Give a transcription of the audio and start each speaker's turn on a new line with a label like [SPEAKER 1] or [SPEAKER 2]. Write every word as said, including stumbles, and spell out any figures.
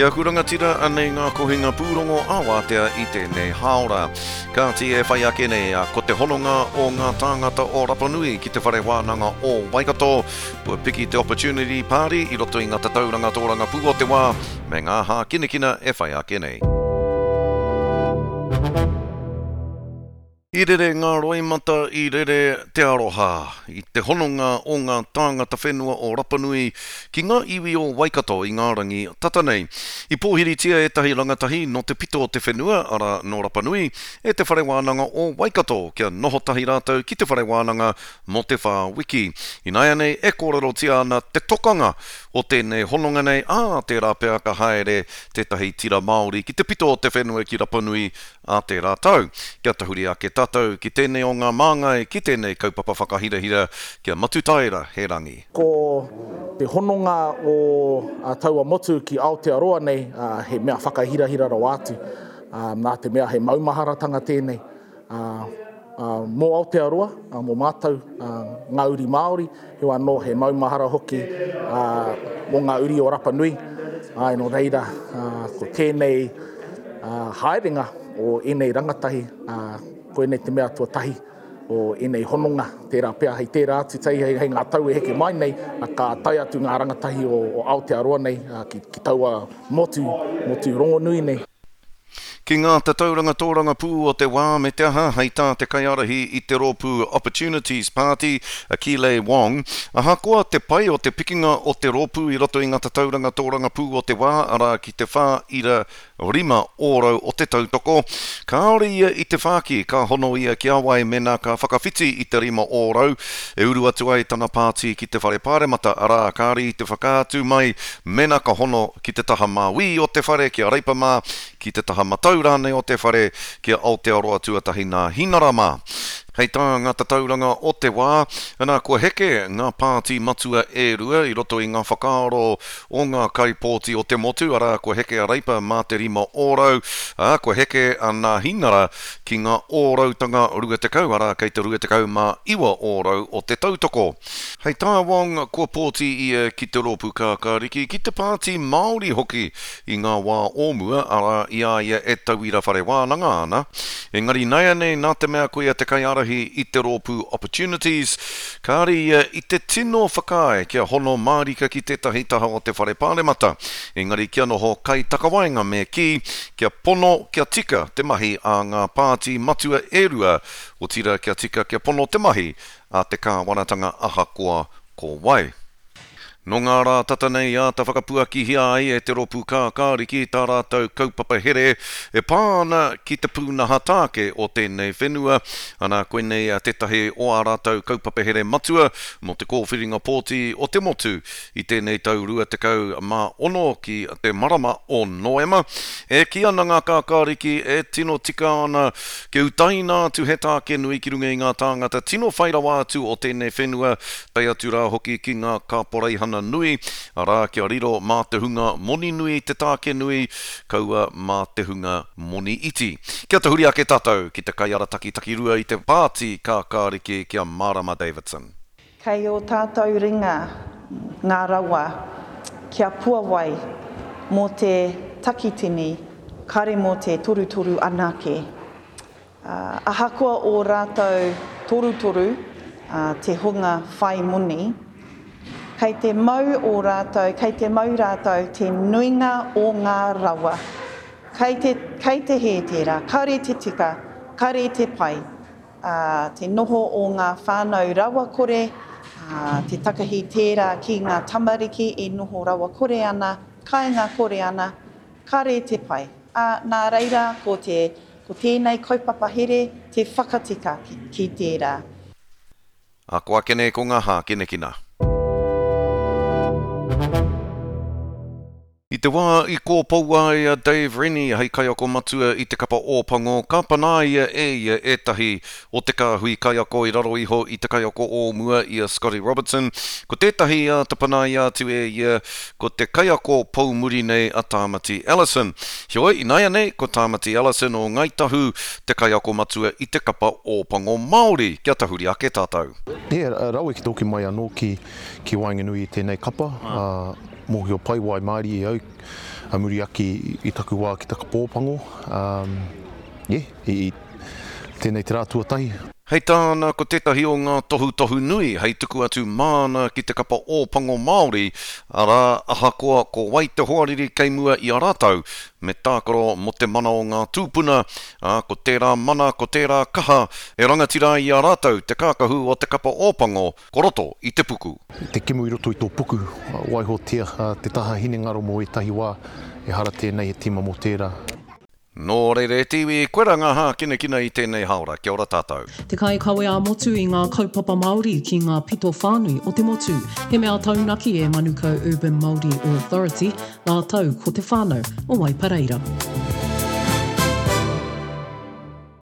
[SPEAKER 1] E aku rangatira, anei ngā kohinga pūrongo ā-wātea i tēnei hāora. Kāti e whai ake nei, ko te hononga o ngā tāngata o Rapanui ki te whare wānanga o Waikato, kua piki te Opportunity Party i roto i ngā tatauranga tōrangapū o te wā, me ngā hākinakina e whai ake nei. I rere ngā roimata, i rere te aroha, i te hononga o ngā tāngata whenua o Rapanui ki ngā iwi o Waikato i ngā rangi tata nei. I pōhiritia ētahi rangatahi nō te pito o te whenua, arā nō Rapanui, e te whare wānanga o Waikato, kia noho tahi rātou ki te whare wānanga mō te whā wiki. Ināianei e kōrerotia ana te tokanga o tēnei hononga nei, ā, tērā pea ka haere tētahi tira Māori ki te pito o te whenua ki Rapanui ā tērā tau. Kia tahuri ake tātou ki tēnei o ngā māngai, ki tēnei kaupapa whakahirahira, kia Matutaera he rangi.
[SPEAKER 2] Ko te hononga o taua motu ki Aotearoa nei, he mea whakahirahira rawa atu. Nā te mea he maumaharatanga tēnei. Mō Aotearoa, mō mātou ngā uri Māori, heoi anō he maumahara hoki mō ngā uri o Rapanui. Ai, nō reira, ko tēnei haerenga o ēnei rangatahi, koinei te mea tuatahi o ēnei hononga, tērā pea hei tērā atu tei hei, hei ngā tau e heke mai nei, ka tae atu ngā rangatahi o, o Aotearoa nei ki, ki taua motu, motu rongonui nei.
[SPEAKER 1] Ki ngā tatauranga tōrangapū o te wā me te aha, hei tā te kaiārahi i te rōpū Opportunities Party, a Keeley Wong, ahakoa te pai o te pikinga o te rōpū i roto i ngā tatauranga tōrangapū o te wā, arā ki te whā ira rima ōrau o te tautoko, kāore ia i te whāki, ka hono ia ki a wai mēnā ka whakawhiti i te rima ōrau, e uru atu ai tana pāti ki te whare pāremata, arā kāre i te whakaatu mai mēnā ka hono ki te taha māui o te whare ki a Reipa mā, ki te taha matau rānei o te whare ki a Aotearoa tuatahi nā Hinara mā. Hei tā ngā tatauranga o te wā, ana kua heke ngā pāti matua e rua i roto i ngā whakaaro o ngā kaipōti o te motu, arā kua heke a Reipa mā te rima ōrau, ā, kua heke a nā Hinara ki ngā ōrautanga rua tekau, arā kei te rua tekau mā iwa ōrau o te tautoko. Hei tā Wong, kua pōti ia ki te rōpū kākāriki, ki te pāti Māori hoki i ngā wā o mua, arā i a ia e tauira whare wānanga ana. Engari nāianei nā te mea koia te kaiārahi i te rōpū Opportunities, kāre ia i te tino whakaae kia hono mārika ki tētahi taha o te whare pāremata. Engari kia noho kaitakawaenga me kī, kia pono, kia tika te mahi a ngā pāti matua e rua, otira kia tika kia pono te mahi a te kāwanatanga ahakoa ko wai. Nō ngā rā tata nei āta whakapuakihia ai e te rōpū kākāriki tā rātou kaupapa here e pā ana ki te pūnaha tāke o tēnei whenua. Ana koinei tētahi o ā rātou kaupapa here matua mō te kōwhiringa pōti o te motu i tēnei tau rua tekau mā ono ki te marama o Noema. E kī ana ngā kākāriki e tino tika ana kia utaina atu he tāke nui ki runga i ngā tāngata tino whai rawa atu o tēnei whenua, tae atu rā hoki ki ngā kāporeihana nui, arā kia riro mā te hunga moni nui te tāke nui, kaua mā te hunga moni iti. Kia tahuri ake tātou ki te kaiarataki takirua i te pāti kākāriki ki a Marama Davidson.
[SPEAKER 3] Kei o tātou ringa ngā rawa kia puawai mō te takitini, kare mō te torutoru anake. Uh, ahakoa o rātou torutoru, uh, te hunga whai moni, kei te mau o rātou, kei te mau rātou te nuinga o ngā rawa. Kei te, kei te hē tērā, kare te tika, kare te pai. Uh, te noho o ngā whānau rawakore, uh, te takahi tērā ki ngā tamariki e noho rawakore ana, kāinga kore ana, kare te pai. Uh, nā reira, ko, te, ko tēnei kaupapa here te whakatika ki, ki tērā.
[SPEAKER 1] Ako ake nei ko ngā hākinakina. I te wā i kōpoua ai a Dave Rennie hei kaiako matua i te kapa Ōpango, ka panaia e ia ētahi o te kāhui kaiako i raro iho i te kaiako o mua i a Scotty Robertson. Ko tētahi a te panaia atu e ia, ko te kaiako poumuri nei a Tāmati Ellison. Heoi, ināianei, ko Tāmati Ellison o Ngāi Tahu te kaiako matua i te kapa Ōpango Māori. Kia tahuri ake tātou.
[SPEAKER 4] Yeah, rawe ki tōki mai anō ki, ki waenganui i tēnei kapa. Uh, mōhio pai wai Māori e au A muri ake i taku wā ki taka Ōpango, um, yeah, i, i tēnei te rā tuatahi.
[SPEAKER 1] Hei tāna, ko tētahi o ngā tohutohu nui hei tuku atu māna ki te kapa Ōpango Māori, arā, ahakoa ko wai te hoariri kei mua i a rātou, me tākaro mō te mana o ngā tūpuna, ā, ko tērā mana, ko tērā kaha, e rangatira ai i a rātou te kākahu o te kapa Ōpango, ko roto i te puku.
[SPEAKER 4] Te kemu i roto i tō puku, waihotia te taha hinengaro mō ētahi wā, ehara tēnei he tīma mō tērā.
[SPEAKER 1] Nō reira e te iwi, koirā ngā hākinakina i tēnei hāora. Kia ora tātou.
[SPEAKER 5] Te kaikawe ā-motu i ngā kaupapa Māori ki ngā pito whānui o te motu. He mea taunaki e Manukau Urban Māori Authority rātou ko te whānau o Waipareira.